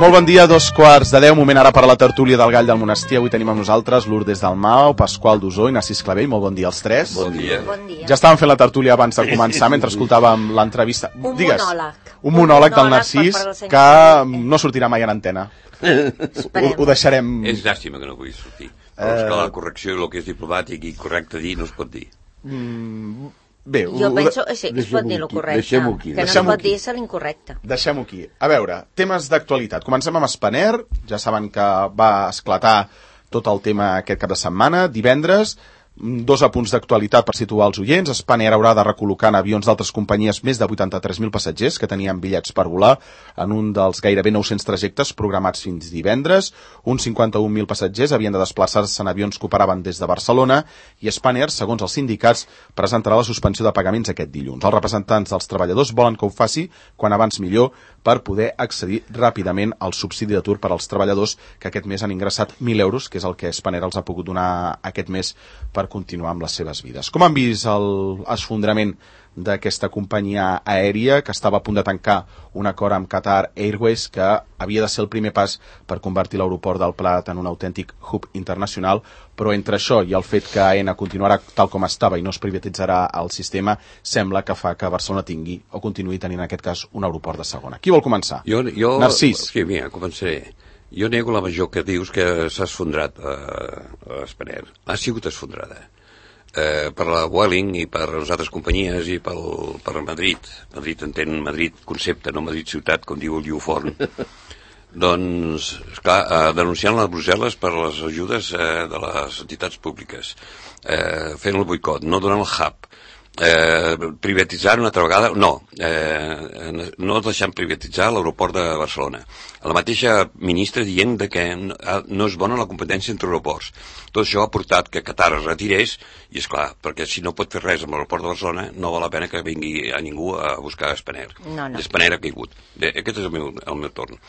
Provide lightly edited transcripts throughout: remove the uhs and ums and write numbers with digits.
Molt bon dia, 2:15, moment ara per a la tertúlia del Gall del Monestir. Avui tenim amb nosaltres Lourdes Dalmau, Pasqual Dusó i Narcís Clavell. Molt bon dia als tres. Bon dia. Ja estàvem fent la tertúlia abans de començar, mentre escoltàvem l'entrevista. Digues, un monòleg del Narcís que no sortirà mai en antena. Ho deixarem... És llàstima que no pugui sortir. Però és que la correcció i el que és diplomàtic i correcte dir no es pot dir. Bé, jo penso que sí, es pot dir el correcte, que no es pot dir és l'incorrecte. Deixem-ho aquí. A veure, temes d'actualitat. Comencem amb Spanair. Ja saben que va esclatar tot el tema aquest cap de setmana. Divendres, dos apunts d'actualitat per situar els oients. Spanair haurà de recol·locar en avions d'altres companyies més de 83.000 passatgers que tenien bitllets per volar en un dels gairebé 900 trajectes programats fins divendres. Uns 51.000 passatgers havien de desplaçar-se en avions que operaven des de Barcelona i Spanair, segons els sindicats, presentarà la suspensió de pagaments aquest dilluns. Els representants dels treballadors volen que ho faci quan abans millor per poder accedir ràpidament al subsidi d'atur per als treballadors que aquest mes han ingressat 1.000 euros, que és el que Spanair els ha pogut donar aquest mes per continuar amb les seves vides. Com han vist l'esfondrament d'aquesta companyia aèria que estava a punt de tancar un acord amb Qatar Airways que havia de ser el primer pas per convertir l'aeroport del Prat en un autèntic hub internacional, però entre això i el fet que AENA continuarà tal com estava i no es privatitzarà el sistema, sembla que fa que Barcelona tingui o continuï tenint en aquest cas un aeroport de segona. Qui vol començar? Narcís. Sí, mira, començaré. Jo nego la major que dius que s'ha esfondrat a Spanair. Ha sigut esfondrada. Per la Vueling i per les altres companyies i per Madrid. Madrid entén Madrid concepte, no Madrid ciutat, com diu el Lliuforn. Doncs, esclar, denunciant a Brussel·les per les ajudes de les entitats públiques, fent el boicot, no donant el hub, privatitzar una altra vegada, no deixant privatitzar l'aeroport de Barcelona. La mateixa ministra dient que no és bona la competència entre aeroports. Tot això ha portat que Qatar es retirés i, esclar, perquè si no pot fer res amb l'aeroport de Barcelona no val la pena que vingui a ningú a buscar Spanair. No. Spanair ha caigut. Aquest és el meu torn.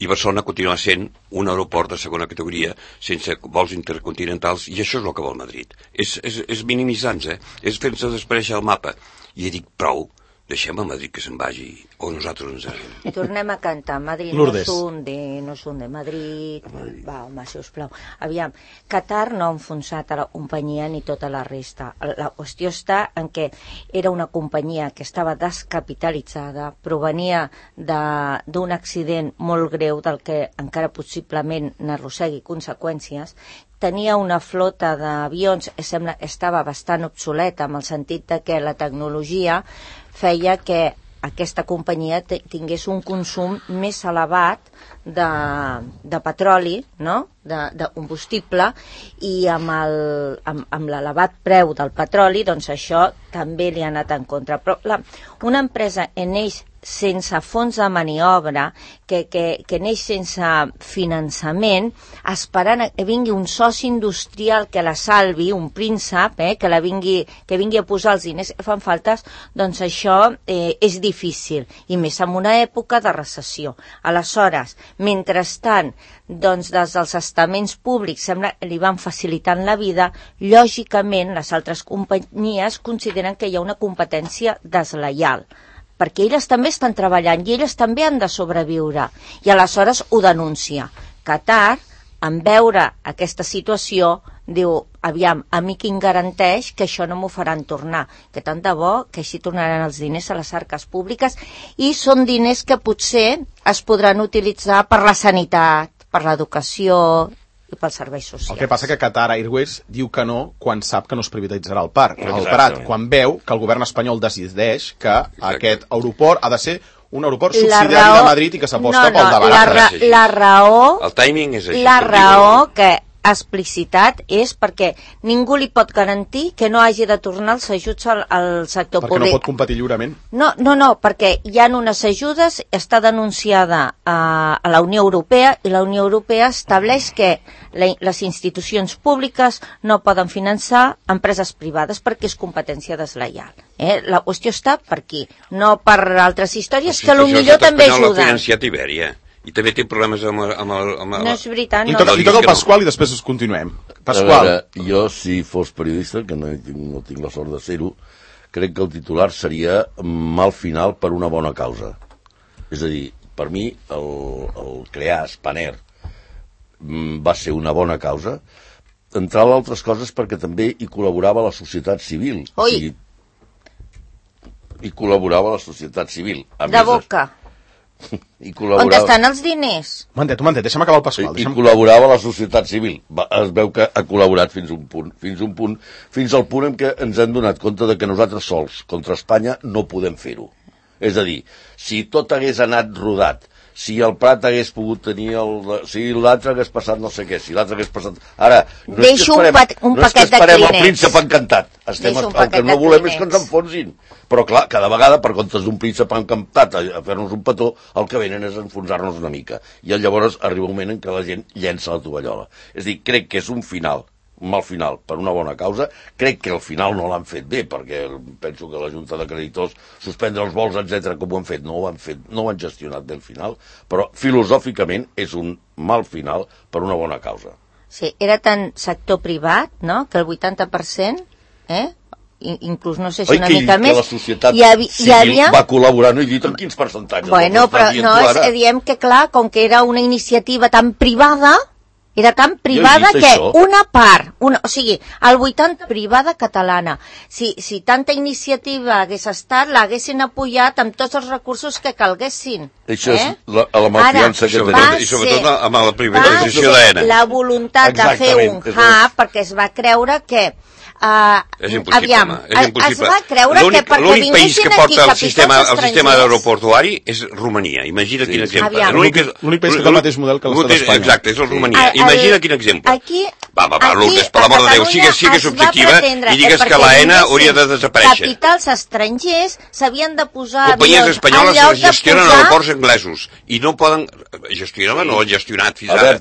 I Barcelona continua sent un aeroport de segona categoria sense vols intercontinentals, i això és el que vol Madrid. És minimitzant-se, és fer-se desaparèixer el mapa. I jo dic, prou, deixem a Madrid que se'n vagi, o nosaltres ens anem. I tornem a cantar, Madrid Lourdes. no s'unde, Madrid. Va, home, sisplau. Aviam, Qatar no ha enfonsat a la companyia ni tota la resta. La qüestió està en què era una companyia que estava descapitalitzada, provenia d'un accident molt greu del que encara possiblement n'arrossegui conseqüències, tenia una flota d'avions, estava bastant obsoleta, en el sentit de que la tecnologia feia que aquesta companyia tingués un consum més elevat de petroli, no? de combustible, i amb l'elevat preu del petroli, doncs això també li ha anat en contra. Però una empresa neix sense fons de maniobra, que neix sense finançament, esperant que vingui un soci industrial que la salvi, un príncep, que vingui a posar els diners que fan faltes, doncs això és difícil, i més en una època de recessió. Aleshores, mentrestant, doncs des dels estaments públics sembla que li van facilitant la vida, lògicament les altres companyies consideren que hi ha una competència deslleial, perquè elles també estan treballant i elles també han de sobreviure, i aleshores ho denuncia. Qatar, en veure aquesta situació, diu, aviam, a mi qui em garanteix que això no m'ho faran tornar, que tant de bo que així tornaran els diners a les arques públiques, i són diners que potser es podran utilitzar per la sanitat, per l'educació i pels serveis socials. El que passa que Qatar Airways diu que no quan sap que no es privatitzarà el Prat, quan veu que el govern espanyol decideix que aquest aeroport ha de ser un aeroport subsidiari de Madrid i que s'aposta pel davant. La raó... El timing és així. La raó que explicitat és perquè ningú li pot garantir que no hagi de tornar els ajuts al sector públic. Perquè no pot competir lliurement? No, perquè hi ha unes ajudes, està denunciada a la Unió Europea, i la Unió Europea estableix que les institucions públiques no poden finançar empreses privades perquè és competència deslleial. La qüestió està per aquí, no per altres històries que potser també ajuden. Ha financiat Ibèria. I també té problemes amb No és veritat, no. Li toca el Pasqual i després us continuem. Pasqual. Jo, si fos periodista, que no tinc la sort de ser-ho, crec que el titular seria mal final per una bona causa. És a dir, Per mi, el crear Spanair va ser una bona causa, entre altres coses perquè també hi col·laborava la societat civil. Oi. O sigui, hi col·laborava la societat civil. De boca. I On estan els diners? Un momentet, deixa'm acabar el Pasqual. I col·laborava la societat civil. Es veu que ha col·laborat fins al punt en què ens hem donat compte de que nosaltres sols, contra Espanya, no podem fer-ho. És a dir, si tot hagués anat rodat, si el Prat hagués pogut tenir si l'altre hagués passat no sé què, si l'altre hagués passat... Ara, no és que esperem el príncep encantat. El que no volem és que ens enfonsin. Però clar, cada vegada, per comptes d'un príncep encantat a fer-nos un petó, el que venen és enfonsar-nos una mica. I llavors arriba un moment en què la gent llença la tovallola. És a dir, crec que és un final, un mal final, per una bona causa. Crec que al final no l'han fet bé, perquè penso que la Junta de Creditors, suspendre els vols, etc, com ho han fet, no ho han gestionat bé el final, però filosòficament és un mal final per una bona causa. Sí, era tan sector privat, no?, que el 80%, inclús no sé si una mica més, que la societat civil va col·laborar, no he dit en quins percentatges. Bueno, però no, diem que clar, com que era una iniciativa tan privada, era tan privada que això. Una part, o sigui, el 80% privada catalana. Si tanta iniciativa hagués estat, l'haguessin apoyat amb tots els recursos que calguessin. Això és la malfiança que tenim. I sobretot amb la privatització d'AENA. La voluntat de fer un hub, perquè es va creure que és impossible, és impossible. Es va creure que perquè vinguessin aquí capitals estrangers... El sistema aeroportuari és Romania. Imagina quin exemple. L'únic país que té el mateix model que l'estat d'Espanya. Exacte, és el Romania. Imagina quin exemple. Va, Lourdes, per l'amor de Déu, sigues objectiva i digues que l'AENA hauria de desaparèixer. Capitals estrangers s'havien de posar... Companyies espanyoles gestionen aeroports anglesos i no poden... Gestionar, no ho han gestionat fins ara.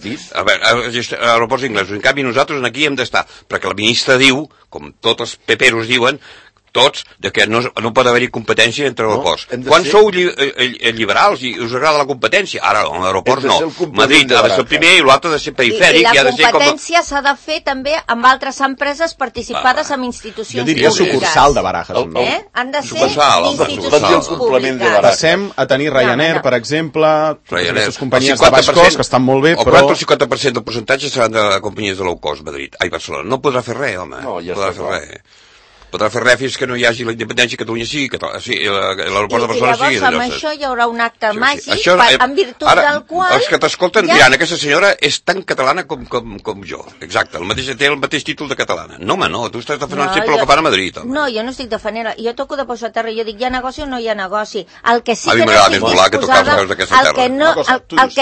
Aeroports inglesos. En canvi, nosaltres aquí hem d'estar, perquè la ministra diu, com tots els peperos diuen, tots, de que no pot haver-hi competència entre aeroports. Quan sou liberals i us agrada la competència? Ara, en aeroports no. Madrid ha de ser el primer i l'altre ha de ser perifèric. I la competència s'ha de fer també amb altres empreses participades amb institucions públiques. Jo diria sucursal de Barajas. Han de ser institucions públiques. Passem a tenir Ryanair, per exemple, aquestes companyies de baix cost que estan molt bé, però... El 50% del percentatge seran de companyies de low cost, Madrid. Ai, Barcelona. No podrà fer res, home. No podrà fer res. Podrà fer res fins que no hi hagi la independència que Catalunya sigui l'aeroport de Barcelona sigui de lloses. I llavors amb això hi haurà un acte màgic en virtut del qual... Els que t'escolten diran, aquesta senyora és tan catalana com jo. Exacte, té el mateix títol de catalana. No, home, no, tu estàs defensant sempre el que fan a Madrid. No, jo no estic defensant, jo toco de posar a terra, jo dic, hi ha negoci o no hi ha negoci. El que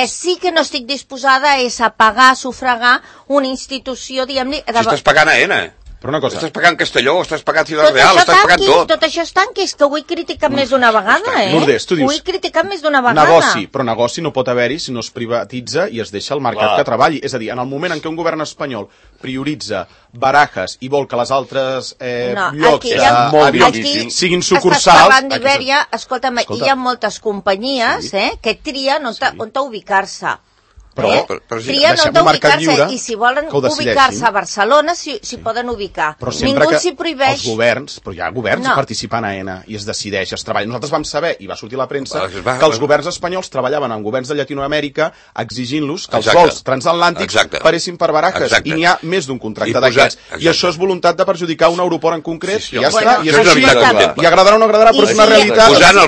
sí que no estic disposada és a pagar, a sufragar una institució, diguem-ne... Si estàs pagant a ENA. Però una cosa... Estàs pagant Castelló, estàs pagant Ciutat Real, estàs pagant tot. Tot això és tanquis, que ho he criticat més d'una vegada, Lourdes, tu dius... Ho he criticat més d'una vegada. Negoci no pot haver-hi si no es privatitza i es deixa el mercat que treballi. És a dir, en el moment en què un govern espanyol prioritza Barajas i vol que les altres llocs siguin sucursals... Estàs parlant d'Ibèria, escolta'm, hi ha moltes companyies que trien on ubicar-se. Trien on ubicar-se i si volen ubicar-se a Barcelona s'hi poden ubicar. Ningú s'hi prohibeix. Els governs, però hi ha governs participant a ENA i es decideix, es treballa. Nosaltres vam saber, i va sortir a la premsa, que els governs espanyols treballaven amb governs de Llatinoamèrica exigint-los que els vols transatlàntics paressin per Barajas. I n'hi ha més d'un contracte d'aquests. I això és voluntat de perjudicar un aeroport en concret. I ja està. I agradarà o no agradarà, però és una realitat. Posant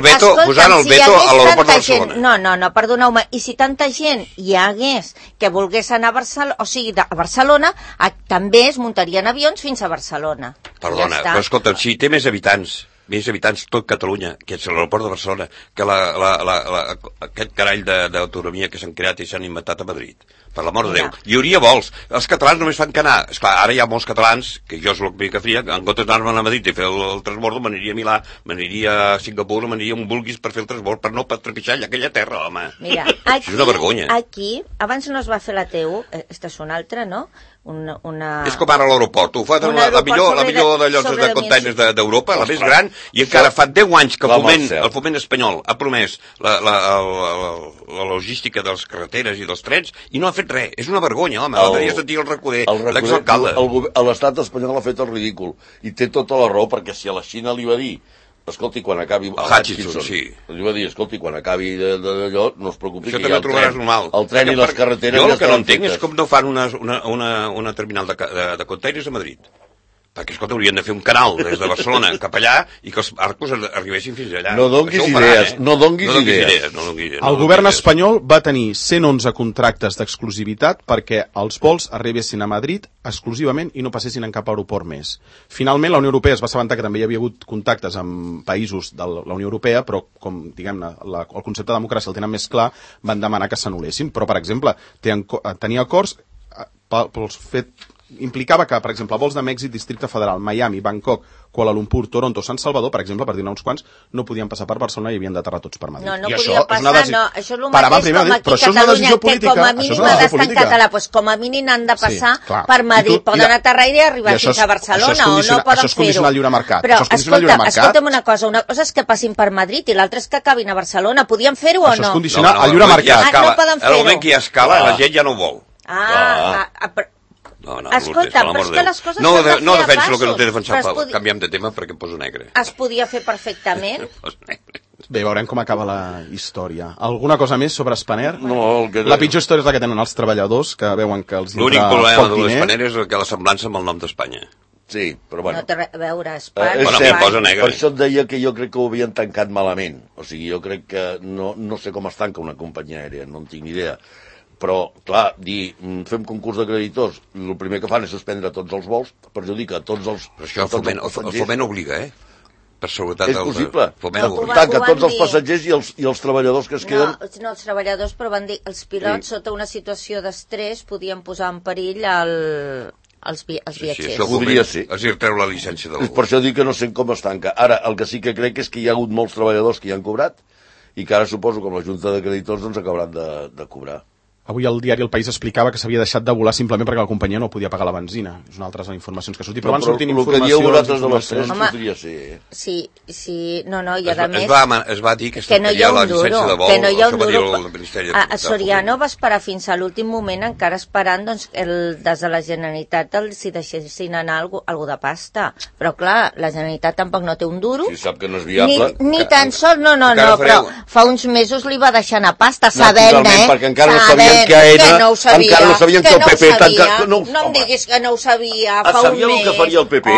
el veto a l'aeroport de Barcelona. No, perdoneu-me. I si tanta gent hi ha que volgués anar a Barcelona, o sigui, a Barcelona, també es muntarien avions fins a Barcelona. Perdona, però escolta, si té més habitants tot Catalunya, que és l'aeroport de Barcelona, que aquest carall d'autonomia que s'han creat i s'han inventat a Madrid. Per l'amor de Déu. Hi hauria vols. Els catalans només fan que anar. Esclar, ara hi ha molts catalans, que jo és el que faria, en comptes d'anar-me'n a Madrid i fer el transbordo, m'aniria a Milà, m'aniria a Singapur, m'aniria on vulguis per fer el transbord, per no trepitjar aquella terra, home. Mira, és una vergonya. Aquí, abans no es va fer la TU, esta és una altra, no? És com ara l'aeroport, ho fa la millor d'allò de containers d'Europa, la més gran, i encara fa 10 anys que el foment espanyol ha promès la logística de les carreteres i dels trens i no ha fet res. És una vergonya, home. L'altre dia sentia el Recoder, l'exalcalde. L'estat espanyol ha fet el ridícul i té tota la raó, perquè si a la Xina li va dir escolti, quan acabi... Hutchinson, sí. Jo va dir, escolti, quan acabi d'allò, no es preocupi, això que hi ha el tren i les carreteres... Jo el que no entenc és com no fan una terminal de containers a Madrid. Perquè, escolta, haurien de fer un canal des de Barcelona cap allà i que els barcos arribessin fins allà. No donguis idees, no donguis idees. El govern espanyol va tenir 111 contractes d'exclusivitat perquè els vols arribessin a Madrid exclusivament i no passessin en cap aeroport més. Finalment, la Unió Europea es va assabentar que també hi havia hagut contactes amb països de la Unió Europea, però com, diguem-ne, el concepte de democràcia el tenen més clar, van demanar que s'anul·lessin. Però, per exemple, tenia acords pels fet implicava que, per exemple, vols de Mèxic, Districte Federal, Miami, Bangkok, Kuala Lumpur, Toronto, Sant Salvador, per exemple, per dir-ne uns quants, no podien passar per Barcelona i havien d'aterrar tots per Madrid. No I podia passar, no. Això és el mateix com aquí a Catalunya, que com a mínim ha d'estar en català. Doncs com a mínim han de passar per Madrid. Poden aterrar i arribar fins a Barcelona, o no poden fer-ho. Això és condicionar el lliure mercat. Però, escolta'm una cosa és que passin per Madrid i l'altra és que acabin a Barcelona. Podien fer-ho o no? Això és condicionar el lliure mercat. No poden fer-ho. El moment que hi ha escala, la gent ja no ho vol. Escolta, però és que les coses no defenso el que no té defensat, canviem de tema perquè em poso negre. Es podia fer perfectament. Bé, veurem com acaba la història. Alguna cosa més sobre Spanair? No, la pitjor història és la que tenen els treballadors, que veuen que els l'únic problema de l'Spanair és que la semblança amb el nom d'Espanya. Sí, però bueno. No té res a veure, Espanya. Per això et deia que jo crec que ho havien tancat malament. O sigui, jo crec que no sé com es tanca una companyia aèria, no en tinc ni idea. Però, clar, fem concurs de creditors, el primer que fan és suspendre tots els vols, perjudica tots els... Però això el foment obliga, Per seguretat... És possible. Tanca tots els passatgers i els treballadors que es queden... No, els treballadors, però van dir els pilots, sota una situació d'estrès, podien posar en perill els viatgers. Sí, això podria ser. És dir, treu la llicència del vol. Per això dic que no sé com es tanca. Ara, el que sí que crec és que hi ha hagut molts treballadors que hi han cobrat i que ara suposo que amb la Junta de Creditors doncs acabaran de cobrar. Avui el diari El País explicava que s'havia deixat de volar simplement perquè la companyia no podia pagar la benzina. És una altra de les informacions que ha sortit. Però van sortint informacions... El que dieu vosaltres de les tres podria ser... Sí, no, i a més... Es va dir que no hi ha la llicència de vol, que no hi ha un duro. A Soriano va esperar fins a l'últim moment encara esperant des de la Generalitat si deixessin anar algú de pasta. Però clar, la Generalitat tampoc no té un duro. Si sap que no és viable... Ni tan sols, no, però fa uns mesos li va deixar anar pasta, sabent, perquè encara no sabien que no sabien que el PP... No em diguis que no ho sabia fa un mes. Sabien el que faria el PP.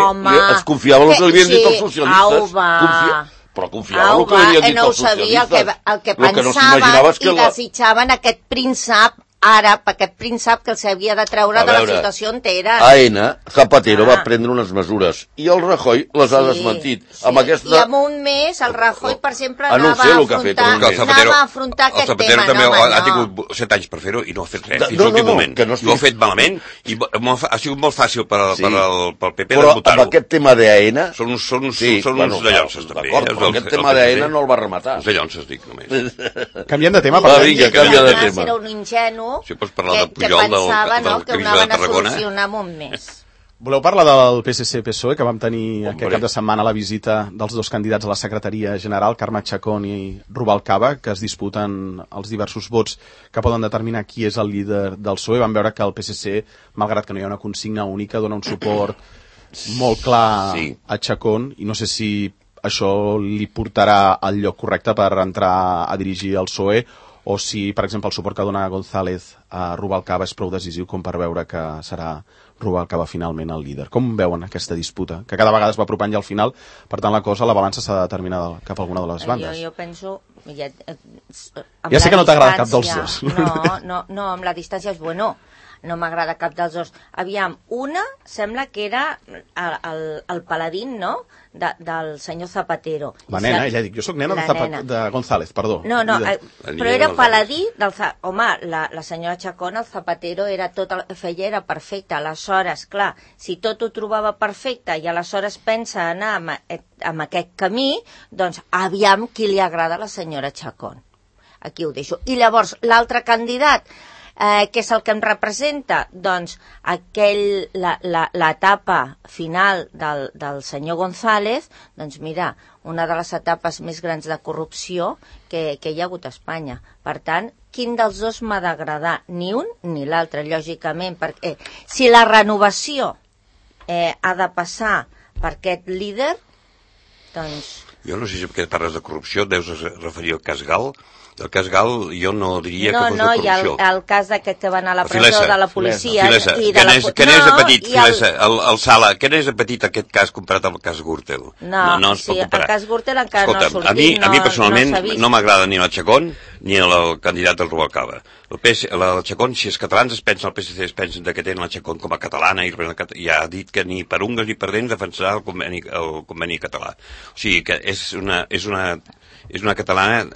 Es confiava el que li havien dit els socialistes. Però confiava el que li havien dit els socialistes. El que pensaven i desitjaven aquest príncep àrab, aquest príncep que els havia de treure de la situació on era. Zapatero va prendre unes mesures i el Rajoy les ha desmentit. I en un mes el Rajoy, per exemple, anava a afrontar aquest tema. El Zapatero també ha tingut 7 anys per fer-ho i no ha fet res fins l'últim moment. Ho ha fet malament i ha sigut molt fàcil pel PP de votar-ho. Però amb aquest tema d'AENA... Són uns de llonces, també. Però aquest tema d'AENA no el va rematar. Uns de llonces, dic, només. Canviem de tema. Vinga, canvia de tema. Era un ingenu si pots parlar de Pujol, del que anaven a solucionar amb un mes. Voleu parlar del PSC-PSOE, que vam tenir aquest cap de setmana la visita dels dos candidats a la secretaria general, Carme Chacón i Rubalcaba, que es disputen els diversos vots que poden determinar qui és el líder del PSOE. Vam veure que el PSC, malgrat que no hi ha una consigna única, dona un suport molt clar a Chacón, i no sé si això li portarà al lloc correcte per entrar a dirigir el PSOE, o si, per exemple, el suport que dona González a Rubalcaba és prou decisiu com per veure que serà Rubalcaba finalment el líder. Com veuen aquesta disputa? Que cada vegada es va apropant ja al final, per tant la cosa, la balança s'ha de determinar cap a alguna de les bandes. Jo penso... Ja sé que no t'agrada cap dels dos. No, amb la distància és bueno. No m'agrada cap dels dos. Aviam, una sembla que era el paladín, no?, del senyor Zapatero. La nena, ella dic, jo soc nena de González, perdó. No, però era paladí del... Home, la senyora Chacón, el Zapatero, era tot el que feia era perfecte. Aleshores, clar, si tot ho trobava perfecte i aleshores pensa anar amb aquest camí, doncs aviam qui li agrada a la senyora Chacón. Aquí ho deixo. I llavors, l'altre candidat, què és el que em representa? Doncs l'etapa final del senyor González, doncs mira, una de les etapes més grans de corrupció que hi ha hagut a Espanya. Per tant, quin dels dos m'ha d'agradar? Ni un ni l'altre, lògicament, perquè si la renovació ha de passar per aquest líder, doncs Jo no sé si perquè parles de corrupció deus referir al cas Gal. El cas Gal jo no diria que fos de corrupció. No, i el cas d'aquest que van a la presó de la policia... Filesa. Que n'és de petit, Filesa, el Sala, que n'és de petit aquest cas comparat amb el cas Gürtel? No, sí, el cas Gürtel encara no ha sortit, a mi personalment no m'agrada ni el Chacón ni el candidat del Rubalcaba. El Chacón, si els catalans es pensen, el PSC es pensen que tenen el Chacón com a catalana i ha dit que ni per ungues ni per dents defensarà el conveni català. O sigui que és una catalana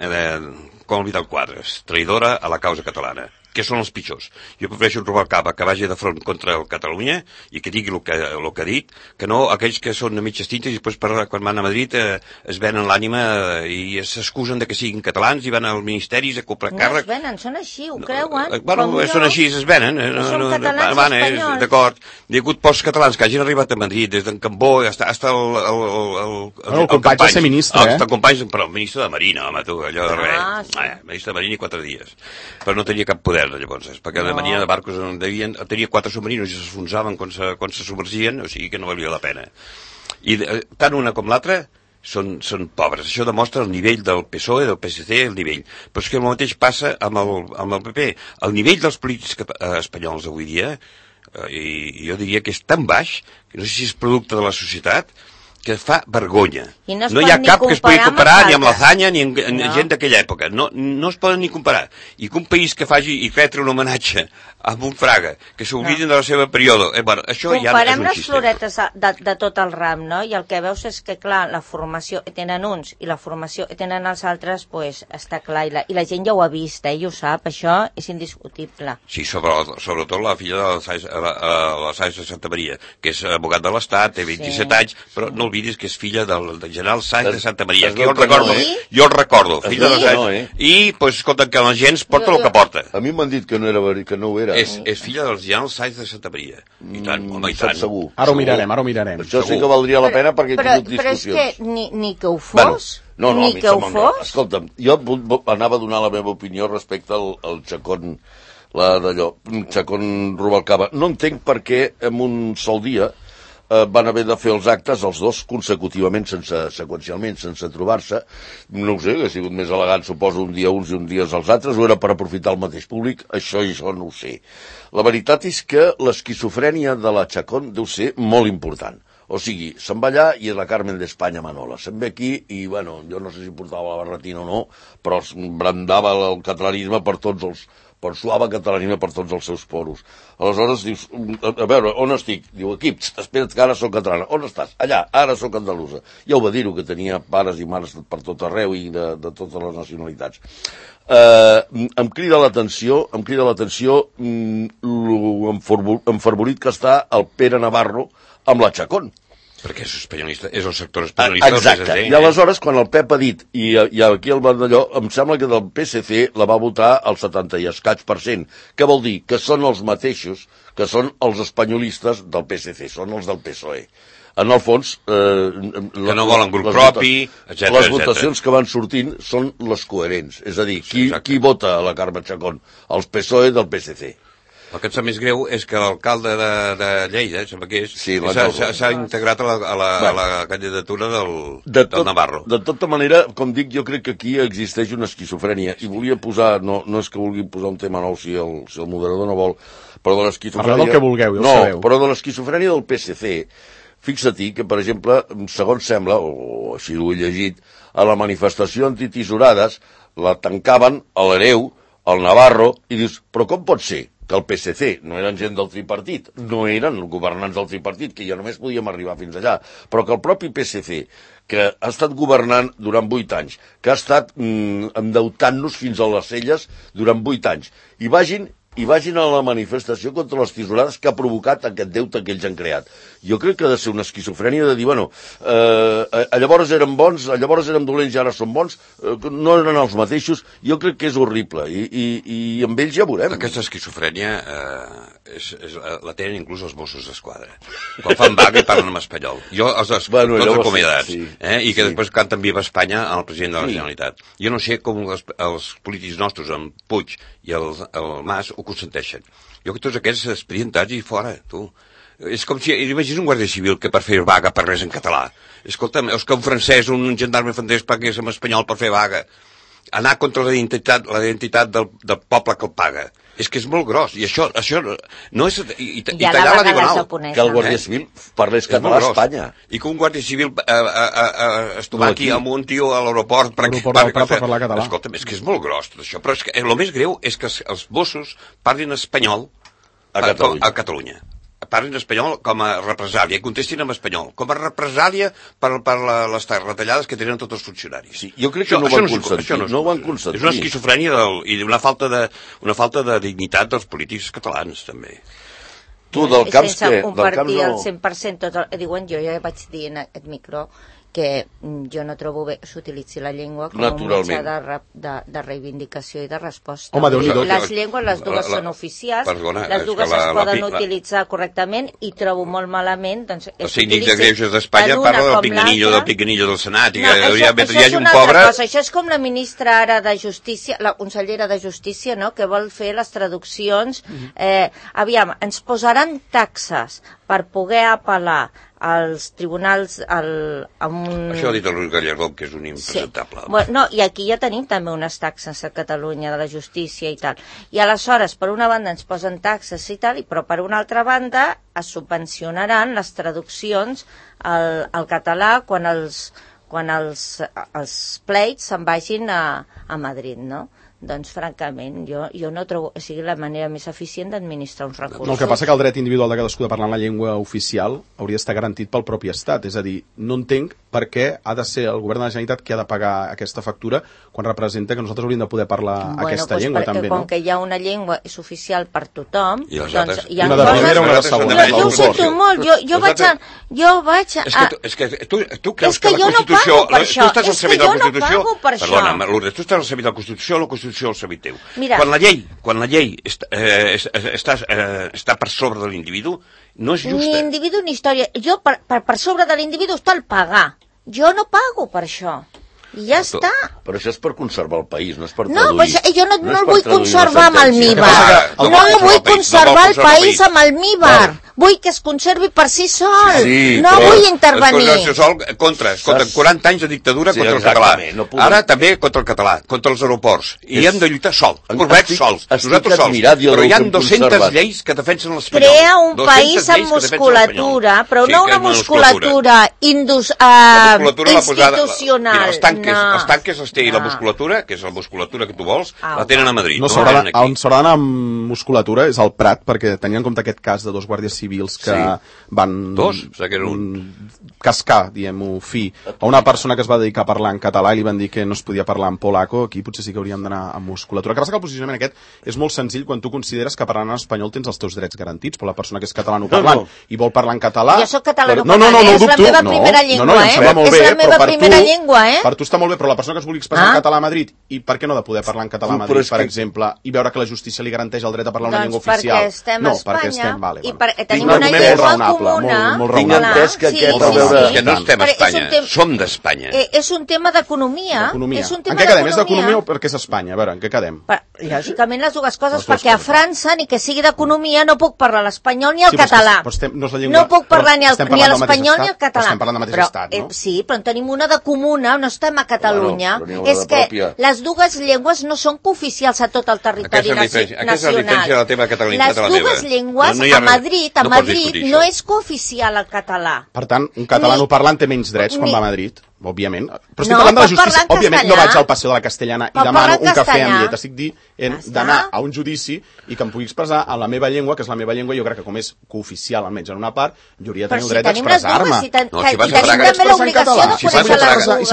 com el Vidal Quadras, traïdora a la causa catalana. Què són els pitjors? Jo prefereixo un Rubalcaba que vagi de front contra el Catalunya i que digui el que ha dit, que no aquells que són de mitges tintes i després quan van a Madrid es venen l'ànima i s'excusen de que siguin catalans i van als ministeris a comprar càrrec. No es venen, són així, ho creuen. Són així, es venen. Són catalans espanyols. D'acord. Hi ha hagut pocs catalans que hagin arribat a Madrid, des d'en Cambó fins el company va ser ministre, El company, però el ministre de Marina, home, tu, allò de res. Ministre de Marina i 4 dies. Però no tenia cap poder, llavors, perquè la Marina de Barcos tenia 4 submarinos i s'esfonsaven quan se submergien, o sigui que no valia la pena. I tant una com l'altra són pobres. Això demostra el nivell del PSOE, del PSC, el nivell. Però és que el mateix passa amb el PP. El nivell dels polítics espanyols avui dia, i jo diria que és tan baix, que no sé si és producte de la societat, que fa vergonya. No hi ha cap que es pugui comparar ni amb l'Azanya ni amb gent d'aquella època. No es poden ni comparar. I que un país que faci i retre un homenatge amb un Fraga, que s'oblidin de la seva període, això ja és un xiste. Comparem les floretes de tot el ram, no? I el que veus és que, clar, la formació que tenen uns i la formació que tenen els altres, pues, està clar. I la gent ja ho ha vist, i ho sap, això és indiscutible. Sí, sobretot la filla de la Sáenz de Santa Maria, que és abogat de l'Estat, té 27 anys, però no oblidis que és filla del general Sáenz de Santa Maria, que jo el recordo, filla de Sáenz. I, pues, escolta, que la gent porta el que porta. A mi m'han dit que no ho era. És filla del general Sáenz de Santa Maria. I tant, home, i tant. Segur. Ara ho mirarem. Això sí que valdria la pena perquè he tingut discussions. Però és que ni que ho fos... Ni que ho fos... Escolta'm, jo anava a donar la meva opinió respecte al Chacón, Chacón Rubalcaba. No entenc per què en un sol dia van haver de fer els actes els dos consecutivament, seqüencialment, sense trobar-se. No ho sé, ha sigut més elegant, suposo, un dia uns i un dia els altres, o era per aprofitar el mateix públic, això no ho sé. La veritat és que l'esquizofrènia de la Chacón deu ser molt important. O sigui, se'n va allà i és la Carmen d'Espanya Manola. Se'n ve aquí i, bueno, jo no sé si portava la barretina o no, però brandava el catalanisme suava catalanisme per tots els seus poros. Aleshores dius, a veure, on estic? Diu, aquí, espera't que ara soc catalana. On estàs? Allà, ara soc andalusa. Ja ho va dir-ho, que tenia pares i mares per tot arreu i de totes les nacionalitats. Em crida l'atenció l'enfervorit que està el Pere Navarro amb la Chacón. Perquè és espanyolista, és el sector espanyolista. Exacte, i aleshores quan el Pep ha dit, i aquí el Vandelló, em sembla que del PSC la va votar el 70 i escaig%. Què vol dir? Que són els mateixos que són els espanyolistes del PSC, són els del PSOE. En el fons... que no volen grup propi, etc. Les votacions que van sortint són les coherents. És a dir, qui vota a la Carme Chacón? Els PSOE del PSC. El que em sap més greu és que l'alcalde de Lleida, sembla que és, s'ha integrat a la candidatura del Navarro. De tota manera, com dic, jo crec que aquí existeix una esquizofrènia. I volia posar, no és que vulgui posar un tema nou si el moderador no vol, però de l'esquizofrènia... Parleu del que vulgueu, ja ho sabeu. Però de l'esquizofrènia del PSC, fixa-t'hi que, per exemple, segons sembla, o així ho he llegit, a la manifestació antitisorades la tancaven a l'Hereu, al Navarro, i dius, però com pot ser que el PSC no eren gent del tripartit, no eren governants del tripartit, que ja només podíem arribar fins allà, però que el propi PSC, que ha estat governant durant 8 anys, que ha estat endeutant-nos fins a les celles durant 8 anys, i vagin a la manifestació contra les tisorades que ha provocat aquest deute que ells han creat. Jo crec que ha de ser una esquizofrènia de dir, bueno, llavors érem bons, llavors érem dolents i ara som bons, no eren els mateixos. Jo crec que és horrible i amb ells ja veurem. Aquesta esquizofrènia la tenen inclús els Mossos d'Esquadra. Quan fan vaga i parlen en espanyol. Jo els acomiadats. Sí. I que després canten Viva Espanya al president de la Generalitat. Jo no sé com els polítics nostres, amb Puig i el Mas, ho consenteixen. Jo que tots aquests expedientats i fora, tu. És com si, imagina un guàrdia civil que per fer vaga parlés en català. Escolta'm, és que un francès o un gendarme francès parlés en espanyol per fer vaga. Anar contra la identitat del poble que el paga. És que és molt gros, i això no és... I tallar la diagonal. Que el guàrdia civil parlés català a Espanya. I que un guàrdia civil es troba aquí amb un tio a l'aeroport per parlar català. Escolta'm, és que és molt gros tot això, però és que el més greu és que els Mossos parlin espanyol a Catalunya. Parlin espanyol com a represàlia, contestin en espanyol, com a represàlia per les retallades que tenen tots els funcionaris. Sí, jo crec que no ho van consentir. No ho van consentir. És una esquizofrènia i una falta de dignitat dels polítics catalans, també. Tu, del camps, sense què? compartir el 100% tot el... Diuen, jo ja vaig dir en aquest micro que jo no trobo bé que s'utilitzi la llengua com un mitjà de reivindicació i de resposta. Home, Déu-n'hi-do. Les llengües, les dues són oficials, les dues es poden utilitzar correctament i trobo molt malament... Doncs, el síndic de Greuges d'Espanya parla del picanillo del Senat, i que hi hagi un pobre... Això és com la ministra ara de Justícia, la consellera de Justícia, no?, que vol fer les traduccions. Aviam, ens posaran taxes per poder apel·lar als tribunals Això ho ha dit el Luis Gallardón, que és un impresentable. Sí. Bueno, no, i aquí ja tenim també unes taxes a Catalunya de la justícia i tal. I aleshores, per una banda ens posen taxes i tal, però per una altra banda es subvencionaran les traduccions al català quan els pleits se'n vagin a Madrid, no? Doncs, francament, jo no trobo que sigui la manera més eficient d'administrar uns recursos. No, el que passa que el dret individual de cadascú de parlar en la llengua oficial hauria d'estar garantit pel propi Estat. És a dir, no entenc per què ha de ser el govern de la Generalitat qui ha de pagar aquesta factura quan representa que nosaltres hauríem de poder parlar aquesta llengua, també, no? Com que hi ha una llengua és oficial per tothom... I les altres? Una de primera, una de segona. Jo ho sento molt, jo vaig a... És que tu creus que la Constitució... Tu estàs al servei de la Constitució... Perdona, Lourdes, tu estàs al servei de la Constitució o la Constitució al servei teu? Quan la llei està per sobre de l'individu, no és justa. Ni individu ni història. Jo, per sobre de l'individu està el pagar. Jo no pago per això. I ja està. Però això és per conservar el país, no és per traduir. No, jo no el vull conservar amb almíbar. No vull conservar el país amb almíbar. Vull que es conservi per si sol. No vull intervenir. Contra 40 anys de dictadura contra el català. Ara també contra el català, contra els aeroports. I hem de lluitar sols. Nosaltres sols. Però hi ha 200 lleis que defensen l'espanyol. Crea un país amb musculatura, però no una musculatura institucional. Els tanques i la musculatura, que és la musculatura que tu vols, la tenen a Madrid. On s'haurà d'anar amb musculatura és al Prat, perquè tenien en compte aquest cas de dos guàrdies civils que van cascar, diguem-ho, fi, a una persona que es va dedicar a parlar en català i li van dir que no es podia parlar en polaco. Aquí potser sí que hauríem d'anar amb musculatura. El que passa que el posicionament aquest és molt senzill quan tu consideres que parlant en espanyol tens els teus drets garantits, però la persona que és catalanoparlant i vol parlar en català... Jo soc catalanoparlant, és la meva primera llengua, és la meva primera llengua, Per tu està molt bé, però la persona que es vulgui expressar en català a Madrid, i per què no ha de poder parlar en català a Madrid, per exemple, i veure que la justícia li garanteix el dret a parlar una llengua oficial? Doncs perquè estem a Espanya i perquè tenim una llengua comuna. Molt raonable. Que no estem a Espanya, som d'Espanya. És un tema d'economia. En què quedem? És d'economia o perquè és Espanya? A veure, en què quedem? Lògicament les dues coses, perquè a França, ni que sigui d'economia, no puc parlar l'espanyol ni el català. No puc parlar ni l'espanyol ni el català. Estem parlant del mateix estat, no? Sí, però en tenim una de comuna, no estem a Catalunya. És que les dues llengües no són cooficials a tot el territori nacional. Aquesta és la diferència de la teva catalanitat a la meva. Les dues llengües a Madrid no és cooficial el català. Per tant, un catalanoparlant té menys drets quan va a Madrid, òbviament. Però estic parlant de la justícia. Òbviament no vaig al Passeig de la Castellana i demano un cafè amb llet. Estic dient d'anar a un judici i que em pugui expressar en la meva llengua, que és la meva llengua, jo crec que com és cooficial, almenys en una part, jo hauria de tenir el dret d'expressar-me. I tenim també l'obligació de conèixer les dues.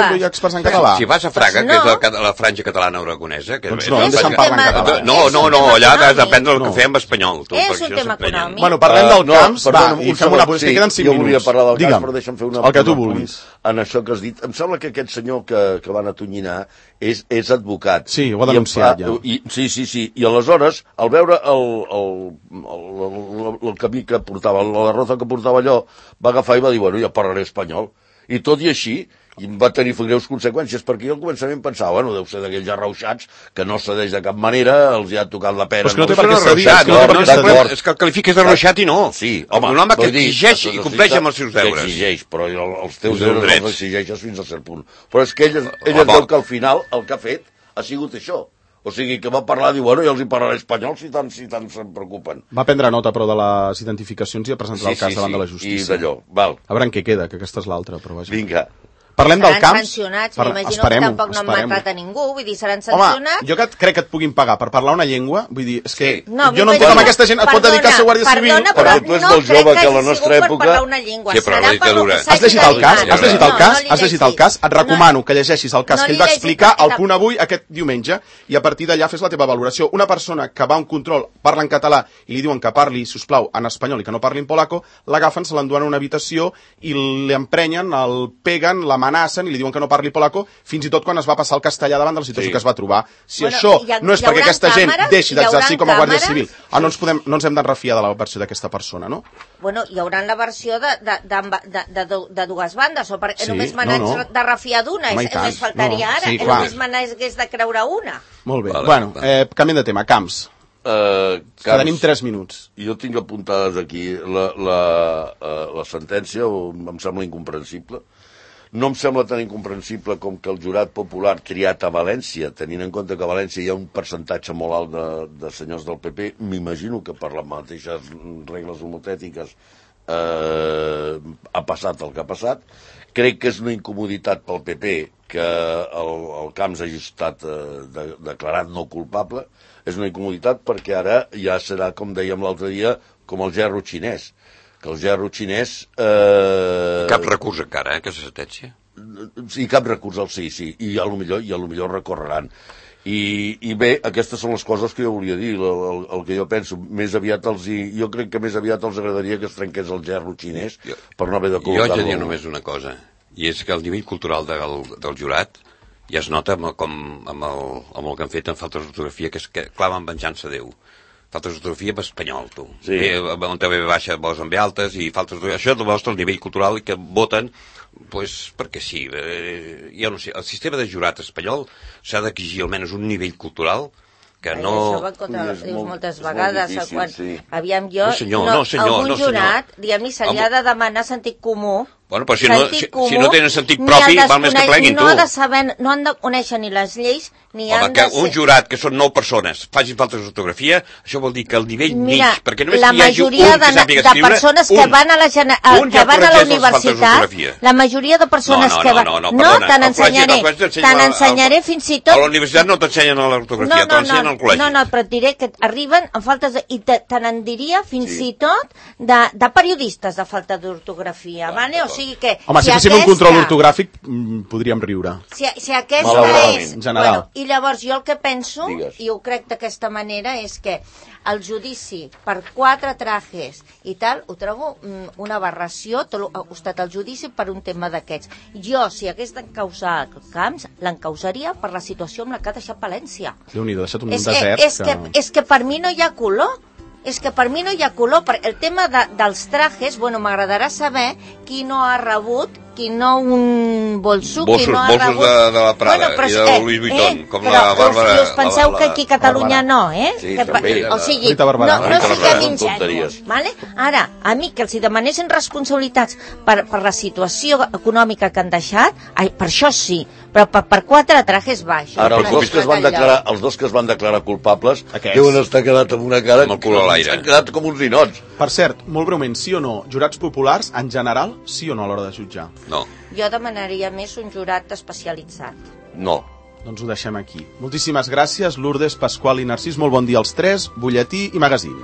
Si vas a Fraga, que és la franja catalana aragonesa... Doncs no, em deixen parlar en català. No, allà has d'aprendre el cafè amb espanyol. És un tema econòmic. Bueno, parlem del camps, va, i fem una posició, que queden 5 minuts. Jo volia parlar del camps, però deixa'm fer el que tu vulguis. En això que has dit, em sembla que aquest senyor que van atonyinar és advocat. Sí, ho ha denunciat ja. Sí. I aleshores, al veure el camí que portava, la derrota que portava allò, va agafar i va dir, bueno, ja parlaré espanyol. I tot i així, I va tenir greus conseqüències, perquè jo al començament pensava, bueno, deu ser d'aquells arrauxats que no cedeix de cap manera, els hi ha tocat la pera. Però és que no té No per què és cedir, arrauxat, és que el qualifiques d'arrauxat i no. Sí, home, un home que exigeix i compleix amb els seus deures. Exigeix, però els teus deures els exigeixes fins a cert punt. Però és que ell es veu que al final el que ha fet ha sigut això. O sigui, que va parlar, diu, bueno, jo els hi parlaré espanyol si tant se'n preocupen. Va prendre nota, però, de les identificacions i ha presentat el cas davant de la justícia. I d'allò, val. A veure en què queda, que aquesta és l'altra, però vaja. Vinga. Parlem del camp. Seran sancionats, m'imagino que tampoc no han matat a ningú, vull dir, seran sancionats. Home, jo crec que et puguin pagar per parlar una llengua, vull dir, és que no, jo no entenc com aquesta gent et pot dedicar a ser guàrdia civil. Perdona, però no crec que hagi sigut per parlar una llengua. Sí, però la dictadura. Has llegit el cas? Has llegit el cas? Has llegit el cas? Et recomano que llegeixis el cas que ell va explicar al Punt Avui aquest diumenge i a partir d'allà fes la teva valoració. Una persona que va a un control, parla en català i li diuen que parli, sisplau, en espanyol i que no parli en polaco, l'agafen, se l'enduen a una habitació i l'emprenyen, el peguen, l'amenacen i li diuen que no parli polaco, fins i tot quan es va passar el castellà davant de la situació que es va trobar. Si això no és perquè aquesta gent deixi d'exercir com a guàrdia civil, no ens hem de refiar de la versió d'aquesta persona, no? Bueno, hi haurà la versió de dues bandes, o perquè només me n'haig de refiar d'una, només faltaria ara, només me n'hagués de creure una. Molt bé, bueno, canviem de tema, camps. Tenim 3 minuts. Jo tinc apuntades aquí la sentència, em sembla incomprensible. No em sembla tan incomprensible com que el jurat popular triat a València, tenint en compte que a València hi ha un percentatge molt alt de senyors del PP, m'imagino que per les mateixes regles homotètiques ha passat el que ha passat. Crec que és una incomoditat pel PP que el Camps hagi estat declarat no culpable. És una incomoditat perquè ara ja serà, com dèiem l'altre dia, com el gerro xinès. Que el gerro xinès... Cap recurs encara, aquesta sentència? Sí, cap recurs al sí, i a lo millor recorreran. I bé, aquestes són les coses que jo volia dir, el que jo penso. Jo crec que més aviat els agradaria que es trenqués el gerro xinès per no haver de col·locar-lo. Jo haig de dir només una cosa, i és que el nivell cultural del jurat ja es nota amb el que han fet en falta d'ortografia, que és que clamen venjança a Déu. Faltes d'ortografia en espanyol, tu. Sí. On té B baixa vols amb B altes i faltes d'ortografia. Això demostra el nivell cultural que voten, pues, perquè sí. Jo no sé, el sistema de jurat espanyol s'ha d'exigir almenys un nivell cultural que no... Això va contra moltes vegades, quan aviam jo... No, senyor. Algun jurat, diguem-ne, se li ha de demanar sentit comú. Bueno, però si no tenen sentit propi, val més que pleguin, tu. No han de conèixer ni les lleis, ni han de ser... Home, que un jurat, que són 9 persones, facin faltes d'ortografia, això vol dir que el nivell mig, perquè només hi hagi un que sàpiga escriure... de persones que van a la universitat, la majoria de persones que van... No, te n'ensenyaré fins i tot... A la universitat no t'ensenyen l'ortografia, t'ensenyen al col·legi. No, però et diré que arriben amb faltes... I te n'en diria fins i tot de periodistes de falta d'ortografia, vale? O sigui que... Home, si féssim un control ortogràfic, podríem riure. Si aquesta és... En general. I llavors jo el que penso, i ho crec d'aquesta manera, és que el judici per 4 trajes i tal, ho trobo una aberració, tot ha costat el judici per un tema d'aquests. Jo, si hagués d'encausar el Camps, l'encausaria per la situació amb la que ha deixat València. Déu-n'hi-do, ha deixat un desert. És que per mi no hi ha color. És que per mi no hi ha color. El tema dels trajes, bueno, m'agradarà saber qui no ha rebut, qui no un bolso, qui no ha rebut... Bolsos de la Prada i de Louis Vuitton, com la Bàrbara... Però us penseu que aquí a Catalunya no, Sí, també. O sigui, no siguem ingenus, vale? Ara, a mi que els demanessin responsabilitats per la situació econòmica que han deixat, per això sí, però per 4 trajes baix. Ara, els dos que es van declarar culpables deuen estar quedat amb una cara... Amb el cul a l'aire. S'han quedat com uns ninots. Per cert, molt breument, sí o no, jurats populars, en general, sí o no a l'hora de jutjar? No. Jo demanaria més un jurat especialitzat. No. Doncs ho deixem aquí. Moltíssimes gràcies, Lourdes, Pasqual i Narcís. Molt bon dia als 3, butlletí i magazín.